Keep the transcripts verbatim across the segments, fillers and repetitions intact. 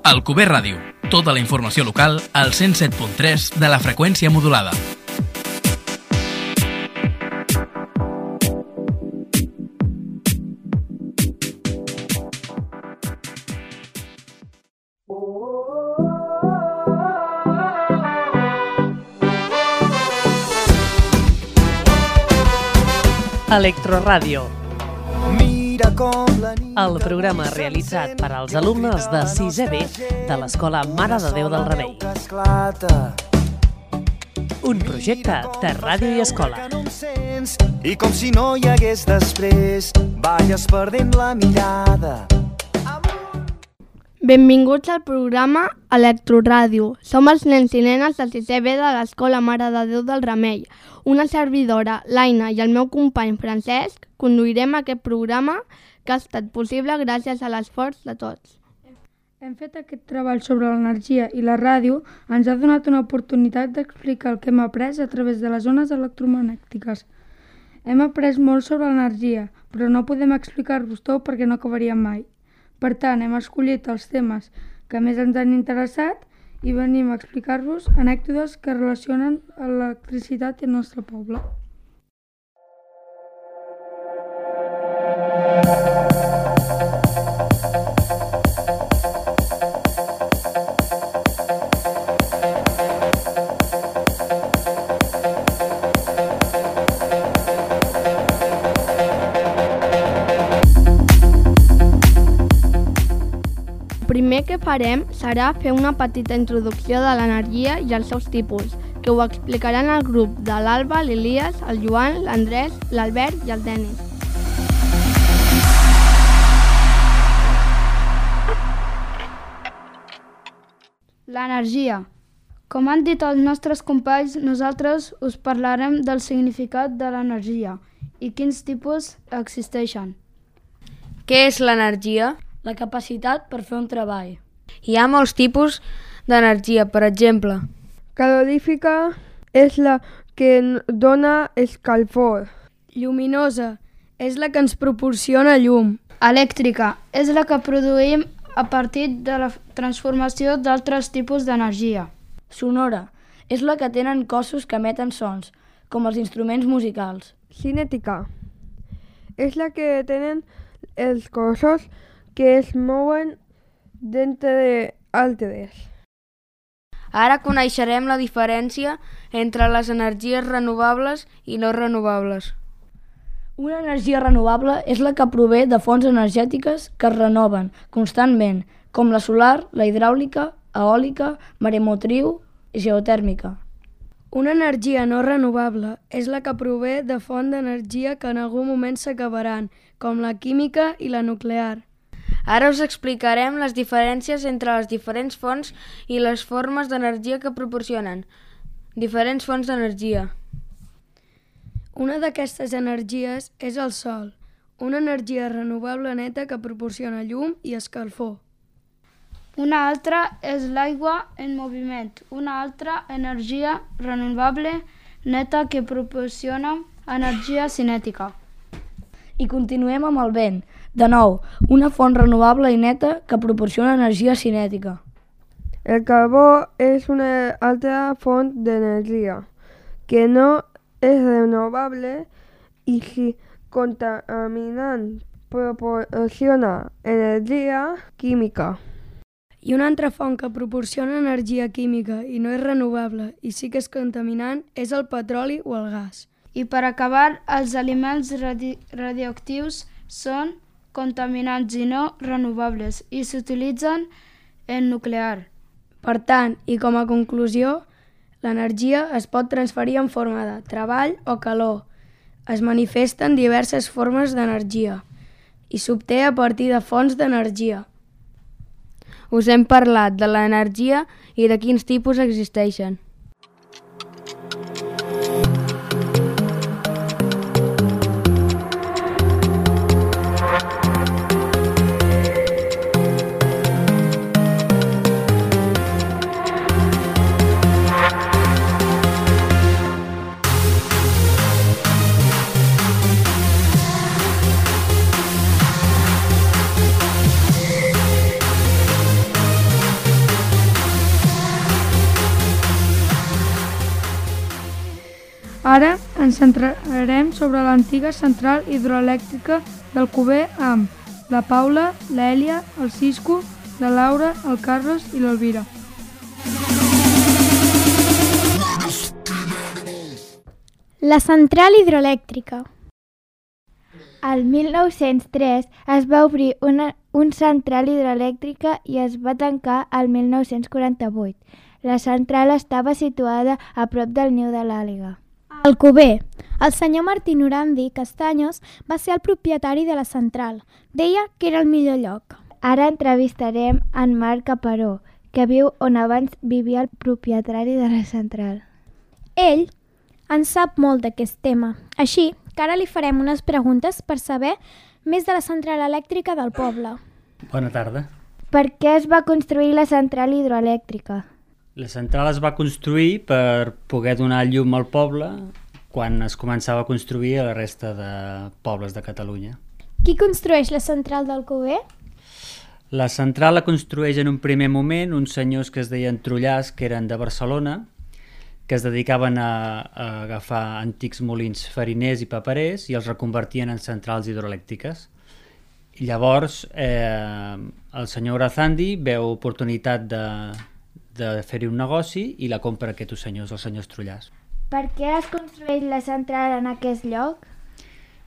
Alcover Ràdio. Tota la informació local al cent set punt tres de la freqüència modulada. Electroràdio. El programa realitzat per als alumnes de sisè B de l'Escola Mare de Déu del Remei. Un projecte de ràdio i escola. I com si no hi hagués després, balles perdent la mirada. Benvinguts al programa Electroràdio. Som els nens i nenes de sisè B de l'Escola Mare de Déu del Remei. Una servidora, l'Aina, i el meu company Francesc conduirem aquest programa que ha estat possible gràcies a l'esforç de tots. Hem fet aquest treball sobre l'energia i la ràdio ens ha donat una oportunitat d'explicar el que hem après a través de les ones electromagnètiques. Hem après molt sobre l'energia, però no podem explicar-vos tot perquè no acabaríem mai. Per tant, hem escollit els temes que més ens han interessat i venim a explicar-vos anècdotes que relacionen l'electricitat i el nostre poble. El primer que farem serà fer una petita introducció de l'energia i els seus tipus, que ho explicaran el grup de l'Alba, l'Elias, el Joan, l'Andrés, l'Albert i el Denis. L'energia. Com han dit els nostres companys, nosaltres us parlarem del significat de l'energia i quins tipus existeixen. Què és l'energia? La capacitat per fer un treball. Hi ha molts tipus d'energia, per exemple. Calorífica és la que dona escalfor. Lluminosa és la que ens proporciona llum. Elèctrica és la que produïm a partir de la transformació d'altres tipus d'energia. Sonora és la que tenen cossos que emeten sons, com els instruments musicals. Cinètica és la que tenen els cossos que es mouen d'entre altres. Ara coneixerem la diferència entre les energies renovables i no renovables. Una energia renovable és la que prové de fonts energètiques que es renoven constantment, com la solar, la hidràulica, eòlica, maremotriu i geotèrmica. Una energia no renovable és la que prové de fonts d'energia que en algun moment s'acabaran, com la química i la nuclear. Ara us explicarem les diferències entre les diferents fonts i les formes d'energia que proporcionen. Diferents fonts d'energia. Una d'aquestes energies és el sol, una energia renovable neta que proporciona llum i escalfor. Una altra és l'aigua en moviment, una altra energia renovable neta que proporciona energia cinètica. I continuem amb el vent. De nou, una font renovable i neta que proporciona energia cinètica. El carbó és una altra font d'energia que no és renovable i si contaminant proporciona energia química. I una altra font que proporciona energia química i no és renovable i sí que és contaminant és el petroli o el gas. I per acabar, els aliments radi- radioactius són contaminants i no renovables i s'utilitzen en nuclear. Per tant, i com a conclusió, l'energia es pot transferir en forma de treball o calor. Es manifesten diverses formes d'energia i s'obté a partir de fonts d'energia. Us hem parlat de l'energia i de quins tipus existeixen. Ara ens centrarem sobre l'antiga central hidroelèctrica d'Alcover amb la Paula, l'Èlia, el Cisco, la Laura, el Carlos i l'Elvira. La central hidroelèctrica. El mil nou-cents tres es va obrir una, un central hidroelèctrica i es va tancar el mil nou-cents quaranta-vuit. La central estava situada a prop del niu de l'àliga. Alcover. El senyor Martí Norandi Castaños va ser el propietari de la central. Deia que era el millor lloc. Ara entrevistarem en Marc Caparó, que viu on abans vivia el propietari de la central. Ell en sap molt d'aquest tema, així que ara li farem unes preguntes per saber més de la central elèctrica del poble. Bona tarda. Per què es va construir la central hidroelèctrica? La central es va construir per poder donar llum al poble quan es començava a construir a la resta de pobles de Catalunya. Qui construeix la central d'Alcover? La central la construeix en un primer moment uns senyors que es deien Trullàs, que eren de Barcelona, que es dedicaven a, a agafar antics molins fariners i paperers i els reconvertien en centrals hidroelèctriques. I llavors eh, el senyor Orazandi veu oportunitat de, de fer-hi un negoci i la compra aquests senyors, els senyors Trullàs. Per què es construeix la central en aquest lloc?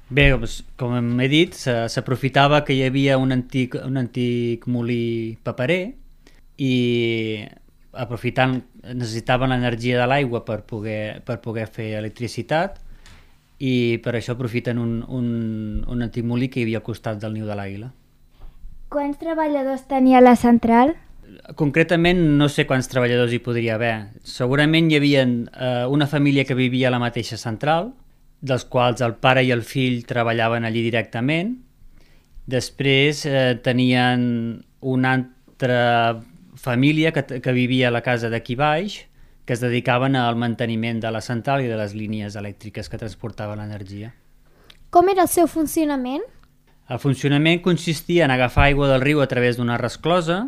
Bé, doncs, com he dit, s'aprofitava que hi havia un antic, un antic molí paperer i aprofitant necessitaven l'energia de l'aigua per poder, per poder fer electricitat i per això aprofiten un, un, un antic molí que hi havia al costat del niu de l'àguila. Quants treballadors tenia la central? Concretament no sé quants treballadors hi podria haver. Segurament hi havia eh, una família que vivia a la mateixa central, dels quals el pare i el fill treballaven allí directament. Després eh, tenien una altra família que, que vivia a la casa d'aquí baix, que es dedicaven al manteniment de la central i de les línies elèctriques que transportaven l'energia. Com era el seu funcionament? El funcionament consistia en agafar aigua del riu a través d'una resclosa.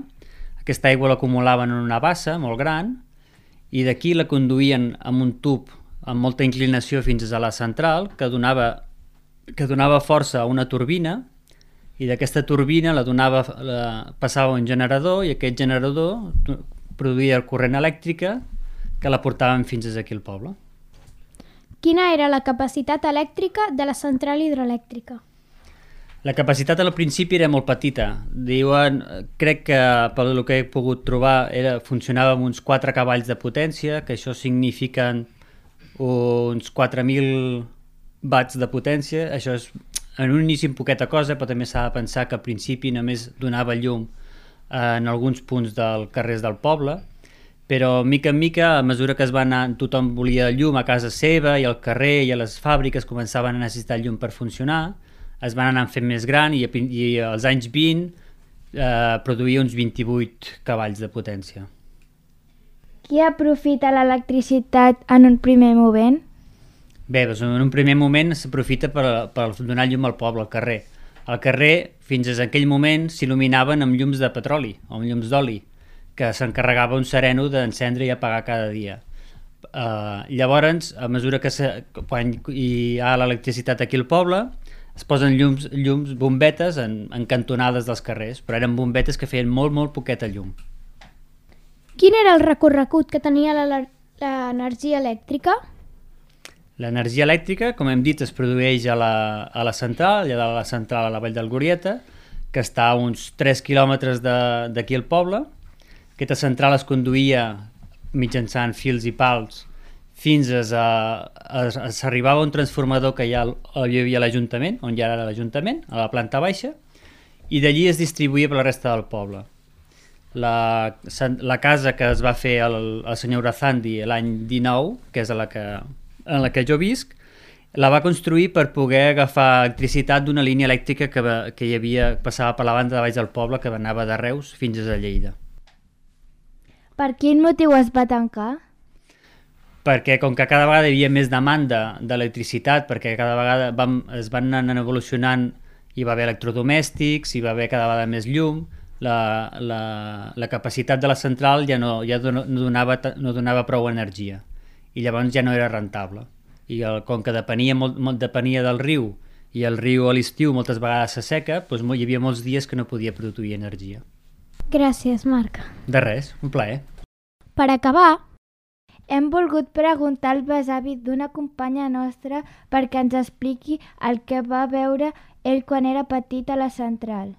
Aquesta aigua l'acumulaven en una bassa molt gran i d'aquí la conduïen amb un tub amb molta inclinació fins a la central que donava, que donava força a una turbina i d'aquesta turbina la donava, la, passava un generador i aquest generador produïa corrent elèctrica que la portaven fins aquí al poble. Quina era la capacitat elèctrica de la central hidroelèctrica? La capacitat al principi era molt petita. Diuen, crec que pel que he pogut trobar era, funcionava amb uns quatre cavalls de potència, que això signifiquen uns quatre mil watts de potència. Això és en un inici en poqueta cosa, però també s'ha de pensar que al principi només donava llum en alguns punts dels carrers del poble, però mica en mica, a mesura que es va anar, tothom volia llum a casa seva i al carrer i a les fàbriques començaven a necessitar llum per funcionar, es van anar fent més gran i, i als anys vint eh, produïa uns vint-i-vuit cavalls de potència. Qui aprofita l'electricitat en un primer moment? Bé, doncs en un primer moment s'aprofita per, per donar llum al poble, al carrer. Al carrer, fins a aquell moment, s'il·luminaven amb llums de petroli o amb llums d'oli, que s'encarregava un sereno d'encendre i apagar cada dia. Uh, llavors, a mesura que se, quan hi ha l'electricitat aquí al poble, es posen llums, llums bombetes en, en cantonades dels carrers, però eren bombetes que feien molt, molt poqueta llum. Quin era el recorregut que tenia l'energia elèctrica? L'energia elèctrica, com hem dit, es produeix a la, a la central, allà de la central a la Vall del Glorieta, que està a uns tres quilòmetres d'aquí al poble. Aquesta central es conduïa mitjançant fils i pals fins a... a, a s'arribava a un transformador que hi, ha, hi havia a l'Ajuntament, on hi era l'Ajuntament, a la planta baixa, i d'allí es distribuïa per la resta del poble. La, la casa que es va fer el, el senyor Orazandi l'any dinou, que és a la que, en la que jo visc, la va construir per poder agafar electricitat d'una línia elèctrica que, que hi havia, passava per la banda de baix del poble, que anava de Reus fins a Lleida. Per quin motiu es va tancar? Perquè com que cada vegada hi havia més demanda d'electricitat, perquè cada vegada vam, es van anar evolucionant, hi va haver electrodomèstics, hi va haver cada vegada més llum, la, la, la capacitat de la central ja, no, ja no, donava, no donava prou energia i llavors ja no era rentable. i el, com que depenia, molt, molt, depenia del riu, i el riu a l'estiu moltes vegades s'asseca, doncs hi havia molts dies que no podia produir energia. Gràcies, Marc. De res, un plaer. Per acabar, hem volgut preguntar al besavi d'una companya nostra perquè ens expliqui el que va veure ell quan era petit a la central.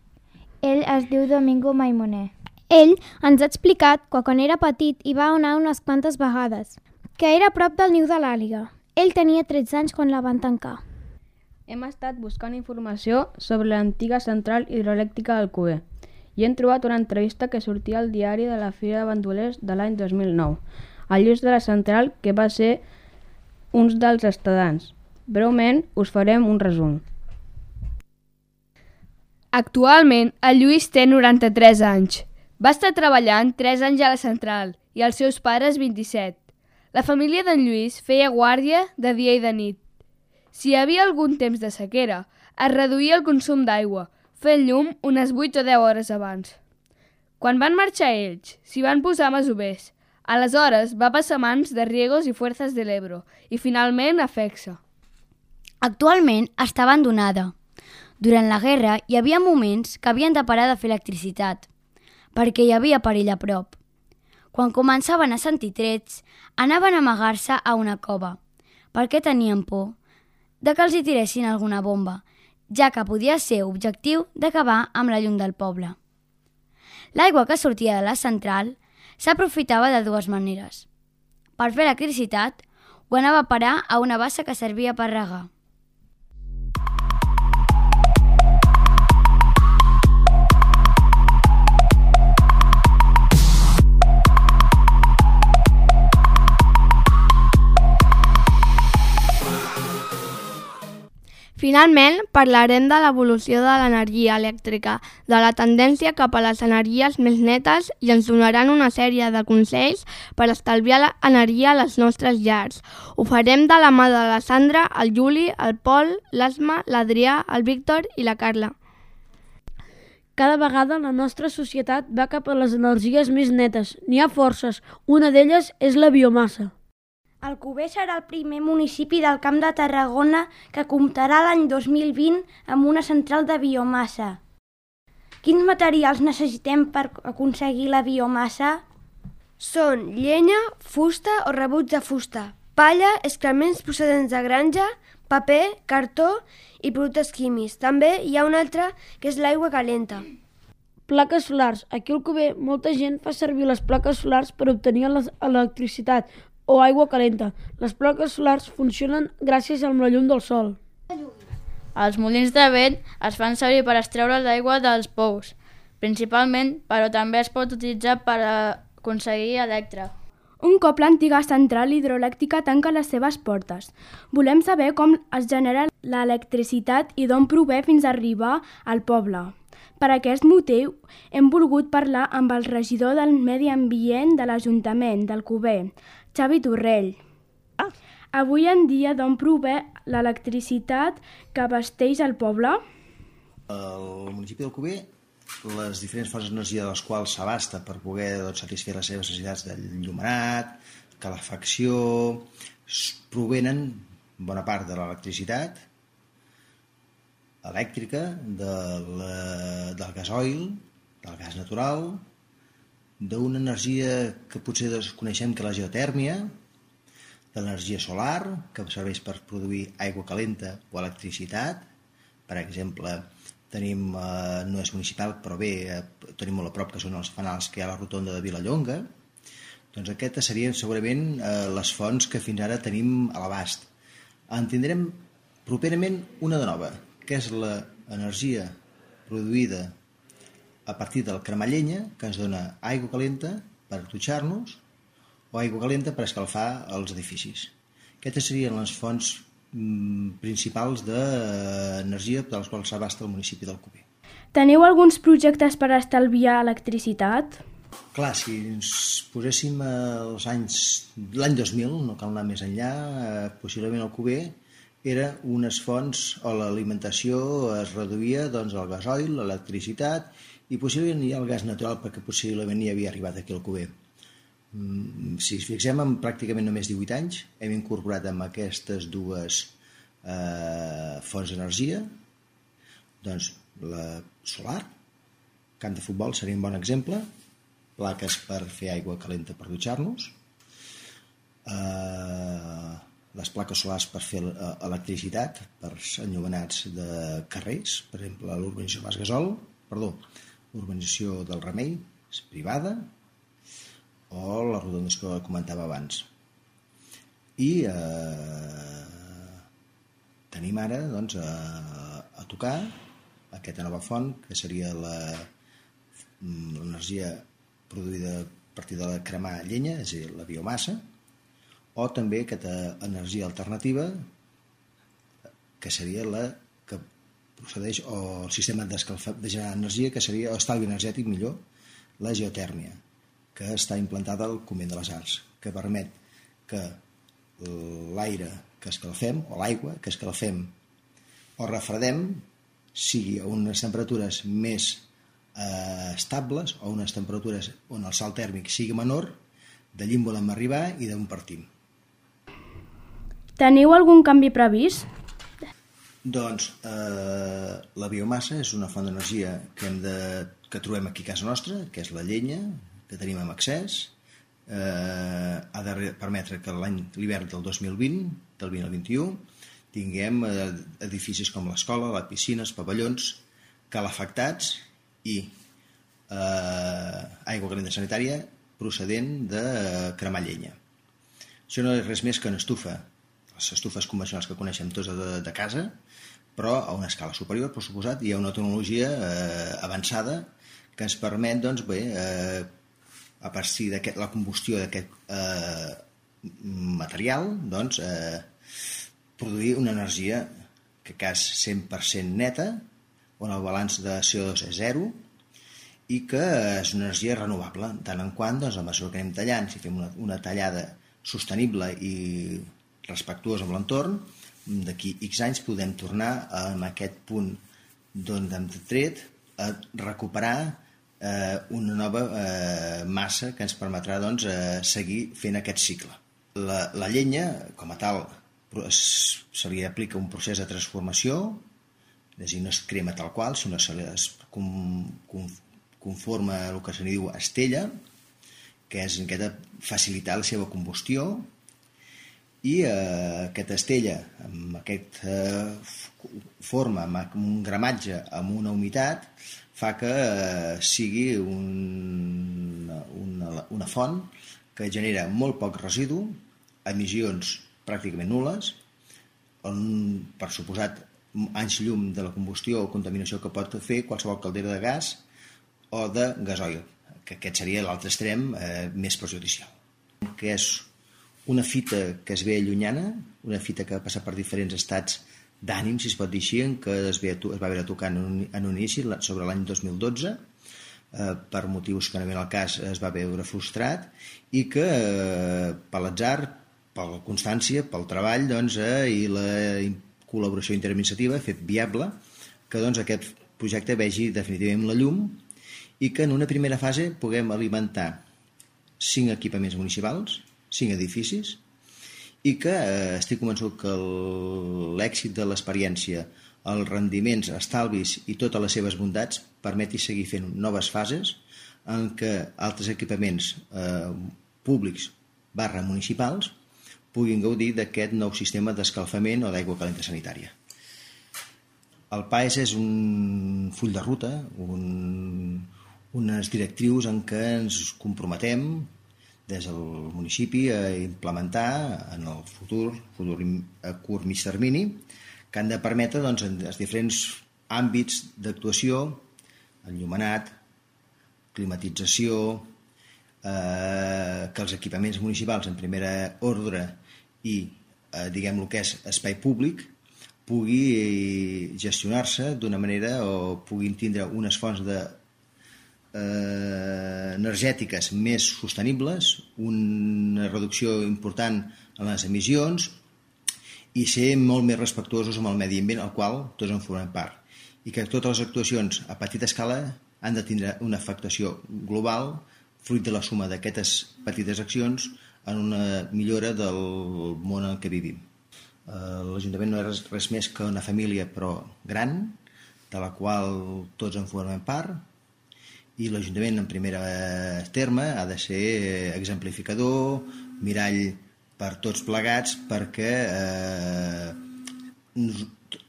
Ell es diu Domingo Maimoner. Ell ens ha explicat que quan era petit hi va anar unes quantes vegades, que era a prop del niu de l'àliga. Ell tenia tretze anys quan la van tancar. Hem estat buscant informació sobre l'antiga central hidroelèctrica d'Alcover i hem trobat una entrevista que sortia al diari de la Fira de Bandolers de l'any dos mil nou, al Lluís de la central, que va ser uns dels estadants. Breument us farem un resum. Actualment, el Lluís té noranta-tres anys. Va estar treballant tres anys a la central i els seus pares vint-i-set. La família d'en Lluís feia guàrdia de dia i de nit. Si hi havia algun temps de sequera, es reduïa el consum d'aigua, fent llum unes vuit o deu hores abans. Quan van marxar ells, s'hi van posar masovers. Aleshores va passar a mans de Riegos i Fuerzas del Ebro i finalment a Fexa. Actualment està abandonada. Durant la guerra hi havia moments que havien de parar de fer electricitat, perquè hi havia perill a prop. Quan començaven a sentir trets, anaven a amagar-se a una cova, perquè tenien por de que els hi tiressin alguna bomba, ja que podia ser objectiu d'acabar amb la llum del poble. L'aigua que sortia de la central s'aprofitava de dues maneres. Per fer electricitat, ho anava a parar a una bassa que servia per regar. Finalment, parlarem de l'evolució de l'energia elèctrica, de la tendència cap a les energies més netes i ens donaran una sèrie de consells per estalviar l'energia a les nostres llars. Ho farem de la mà de la Sandra, el Juli, el Pol, l'Asma, l'Adrià, el Víctor i la Carla. Cada vegada la nostra societat va cap a les energies més netes. N'hi ha forces. Una d'elles és la biomassa. Alcover serà el primer municipi del Camp de Tarragona que comptarà l'any dos mil vint amb una central de biomassa. Quins materials necessitem per aconseguir la biomassa? Són llenya, fusta o rebuig de fusta, palla, excrements procedents de granja, paper, cartó i productes químics. També hi ha un altre que és l'aigua calenta. Plaques solars. Aquí al Alcover molta gent fa servir les plaques solars per obtenir l'electricitat o aigua calenta. Les plaques solars funcionen gràcies a la llum del sol. Els molins de vent es fan servir per extreure l'aigua dels pous, principalment, però també es pot utilitzar per aconseguir electre. Un cop l'antiga central hidroelèctrica tanca les seves portes, volem saber com es genera l'electricitat i d'on prové fins a arribar al poble. Per aquest motiu, hem volgut parlar amb el regidor del Medi Ambient de l'Ajuntament d'Alcover, Xavi Torrell. Avui en dia, d'on prové l'electricitat que abasteix el poble? El municipi d'Alcover, les diferents fonts d'energia de les quals s'abasta per poder doncs, satisfer les seves necessitats d'enllumenat, calefacció, provenen bona part de l'electricitat elèctrica, de la, del gasoil, del gas natural, d'una energia que potser desconeixem que és la geotèrmia, de l'energia solar, que serveix per produir aigua calenta o electricitat. Per exemple, tenim, eh, no és municipal, però bé, eh, tenim molt a prop, que són els fanals que hi ha a la rotonda de Vilallonga. Doncs aquestes serien segurament eh, les fonts que fins ara tenim a l'abast. En tindrem properament una de nova, que és l'energia produïda a partir del cremar llenya, que ens dona aigua calenta per dutxar-nos o aigua calenta per escalfar els edificis. Aquestes serien les fonts mm, principals d'energia de les quals s'abasta el municipi d'Alcover. Teniu alguns projectes per estalviar electricitat? Clar, si ens poséssim els anys, l'any dos mil, no cal anar més enllà, eh, possiblement Alcover era unes fonts o l'alimentació es reduïa doncs, el gasoil, l'electricitat i possiblement hi ha el gas natural perquè possiblement hi havia arribat aquí al Alcover. Si ens fixem en pràcticament només divuit anys, hem incorporat amb aquestes dues eh, fonts d'energia, doncs la solar, camp de futbol seria un bon exemple, plaques per fer aigua calenta per dutxar-nos, eh, les plaques solars per fer electricitat per enllumenats de carrers, per exemple l'urbanització Mas Gasol, perdó, l'urbanització del Remei és privada, o les rotondes que comentava abans. I eh, tenim ara doncs, a, a tocar aquesta nova font, que seria l'energia produïda a partir de la cremar llenya, és a dir, la biomassa, o també aquesta energia alternativa, que seria la que procedeix, o el sistema d'escalfar, de generar energia, que seria l'estalvi energètic millor, la geotèrmia, que està implantada al Convent de les Arts, que permet que l'aire que escalfem, o l'aigua que escalfem o refredem, sigui a unes temperatures més eh, estables o unes temperatures on el salt tèrmic sigui menor, d'allí en volem arribar i d'on partim. Teniu algun canvi previst? Doncs eh, la biomassa és una font d'energia que, hem de, que trobem aquí a casa nostra, que és la llenya, que tenim amb accés, eh, ha de permetre que l'any l'hivern del dos mil vint, del vint al vint-i-u, tinguem edificis com l'escola, la piscina, els pavellons, calefactats i eh, aigua calenta sanitària procedent de cremar llenya. Això no és res més que una estufa, les estufes convencionals que coneixem tots de, de casa, però a una escala superior, per suposat, hi ha una tecnologia eh, avançada que ens permet, doncs, bé, eh, a partir de la combustió d'aquest eh, material, doncs, eh, produir una energia que cas cent per cent neta, on el balanç de C O dos és zero, i que és una energia renovable, tant en quant, doncs, a mesura que anem tallant, si fem una, una tallada sostenible i respectuosa amb l'entorn, d'aquí X anys podem tornar a aquest punt d'on hem tret a recuperar eh, una nova eh, massa que ens permetrà doncs, eh, seguir fent aquest cicle. La, la llenya, com a tal, se li aplica un procés de transformació, és a dir, no es crema tal qual, sinó se li conforma el que se li diu estella, que és aquesta facilitar la seva combustió, i eh, aquesta estella, amb aquesta eh, forma, amb un gramatge, amb una humitat, fa que eh, sigui un, una, una font que genera molt poc residu, emissions pràcticament nules, on, per suposat, anys llum de la combustió o contaminació que pot fer qualsevol caldera de gas o de gasoil, que aquest seria l'altre extrem eh, més perjudicial. Que és una fita que es ve llunyana, una fita que ha passat per diferents estats d'ànim, si es pot dir així, que es, ve, es va haver tocar en un, en un inici sobre l'any dos mil dotze, eh, per motius que no ven el cas es va veure frustrat, i que eh, per l'atzar, per la constància, pel treball doncs, eh, i la col·laboració interadministrativa ha fet viable que doncs, aquest projecte vegi definitivament la llum i que en una primera fase puguem alimentar cinc equipaments municipals, cinc edificis, i que eh, estic convençut que l'èxit de l'experiència, els rendiments, estalvis i totes les seves bondats permeti seguir fent noves fases en què altres equipaments eh, públics barra municipals puguin gaudir d'aquest nou sistema d'escalfament o d'aigua calenta sanitària. El P A E S és un full de ruta, un, unes directrius en què ens comprometem des del municipi a implementar en el futur, futur a curt mig termini, que han de permetre doncs, en els diferents àmbits d'actuació, enllumenat, climatització, eh, que els equipaments municipals en primera ordre i eh, diguem el que és espai públic pugui gestionar-se d'una manera o puguin tindre unes fonts de Eh, energètiques més sostenibles, una reducció important en les emissions i ser molt més respectuosos amb el medi ambient al qual tots en formem part, i que totes les actuacions a petita escala han de tindre una afectació global fruit de la suma d'aquestes petites accions, en una millora del món en què vivim. L'Ajuntament no és res, res més que una família, però gran, de la qual tots en formem part, i l'Ajuntament, en primera terme, ha de ser exemplificador, mirall per tots plegats, perquè eh,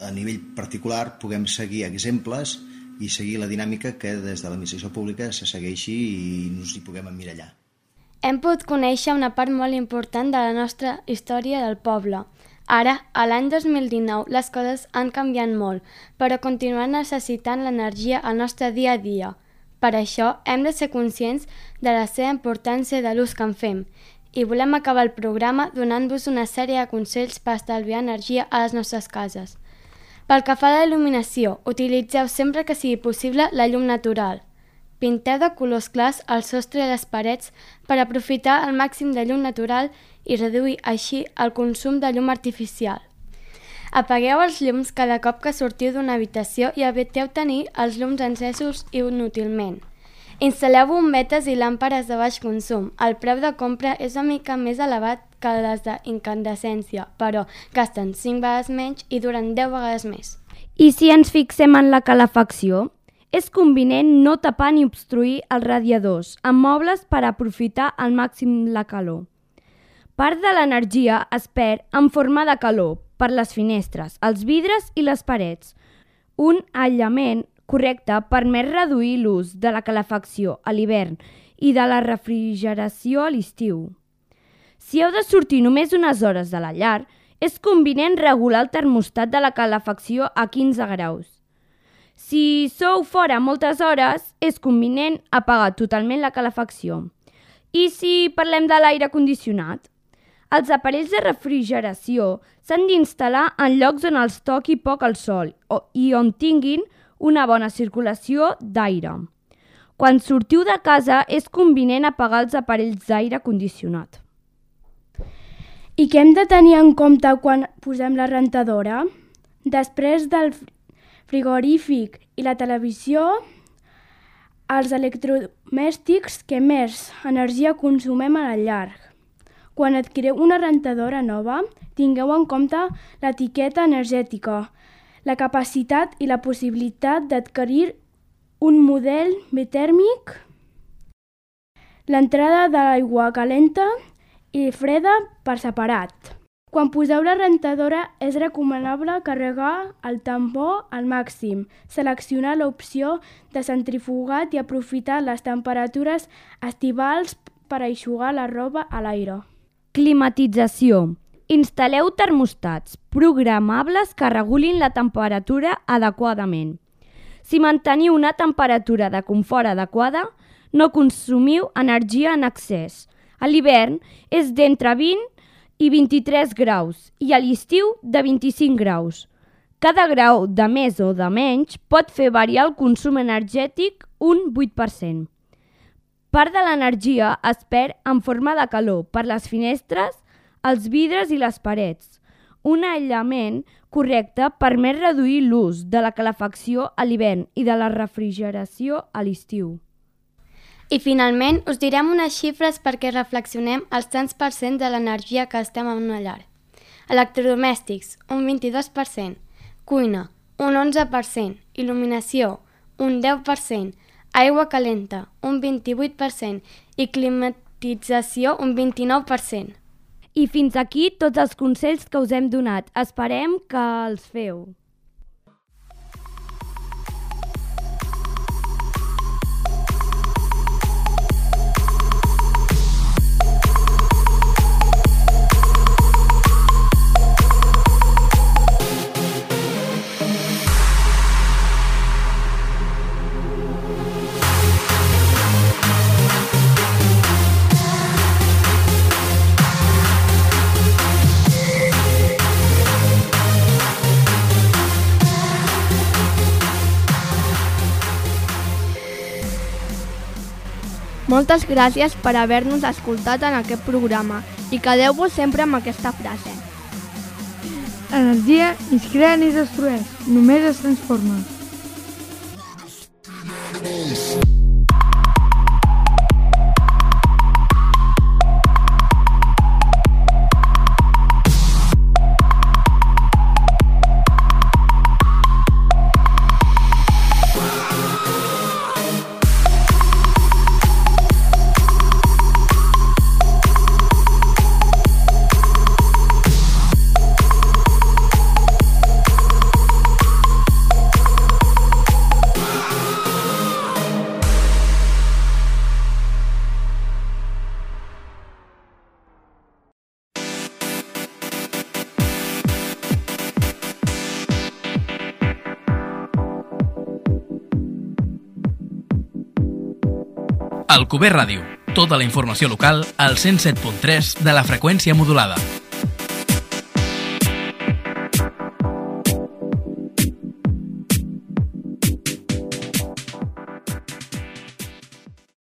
a nivell particular puguem seguir exemples i seguir la dinàmica que des de l'administració pública se segueixi i ens hi puguem emmirallar. Hem pogut conèixer una part molt important de la nostra història del poble. Ara, a l'any dos mil dinou, les coses han canviat molt, però continuem necessitant l'energia al nostre dia a dia. Per això, hem de ser conscients de la seva importància de l'ús que en fem i volem acabar el programa donant-vos una sèrie de consells per estalviar energia a les nostres cases. Pel que fa a la il·luminació, utilitzeu sempre que sigui possible la llum natural. Pinteu de colors clars el sostre i les parets per aprofitar el màxim de llum natural i reduir així el consum de llum artificial. Apagueu els llums cada cop que sortiu d'una habitació i eviteu tenir els llums encesos inútilment. Instal·leu bombetes i làmperes de baix consum. El preu de compra és una mica més elevat que les d'incandescència, però gasten cinc vegades menys i duren deu vegades més. I si ens fixem en la calefacció? És convenient no tapar ni obstruir els radiadors amb mobles per aprofitar al màxim la calor. Part de l'energia es perd en forma de calor per les finestres, els vidres i les parets. Un aïllament correcte permet reduir l'ús de la calefacció a l'hivern i de la refrigeració a l'estiu. Si heu de sortir només unes hores de la llar, és convenient regular el termostat de la calefacció a quinze graus. Si sou fora moltes hores, és convenient apagar totalment la calefacció. I si parlem de l'aire condicionat? Els aparells de refrigeració s'han d'instal·lar en llocs on els toqui poc el sol i on tinguin una bona circulació d'aire. Quan sortiu de casa és convenient apagar els aparells d'aire condicionat. I què hem de tenir en compte quan posem la rentadora? Després del frigorífic i la televisió, els electrodomèstics que més energia consumem a la llar. Quan adquiriu una rentadora nova, tingueu en compte l'etiqueta energètica, la capacitat i la possibilitat d'adquirir un model bitèrmic, l'entrada de l'aigua calenta i freda per separat. Quan poseu la rentadora és recomanable carregar el tambor al màxim, seleccionar l'opció de centrifugat i aprofitar les temperatures estivals per eixugar la roba a l'aire. Climatització. Instal·leu termostats programables que regulin la temperatura adequadament. Si manteniu una temperatura de confort adequada, no consumiu energia en excés. A l'hivern és d'entre vint i vint-i-tres graus i a l'estiu de vint-i-cinc graus. Cada grau de més o de menys pot fer variar el consum energètic un vuit per cent. Part de l'energia es perd en forma de calor per les finestres, els vidres i les parets. Un aïllament correcte permet reduir l'ús de la calefacció a l'hivern i de la refrigeració a l'estiu. I finalment us direm unes xifres perquè reflexionem els tants per cent de l'energia que estem en una llar. Electrodomèstics, un vint-i-dos per cent. Cuina, un onze per cent. Il·luminació, un deu per cent. Aigua calenta, un vint-i-vuit per cent. I climatització, un vint-i-nou per cent. I fins aquí tots els consells que us hem donat. Esperem que els feu. Moltes gràcies per haver-nos escoltat en aquest programa i quedeu-vos sempre amb aquesta frase. L'energia ni es crea ni es destrueix, només es transforma. Alcover Ràdio. Tota la informació local al cent set punt tres de la freqüència modulada.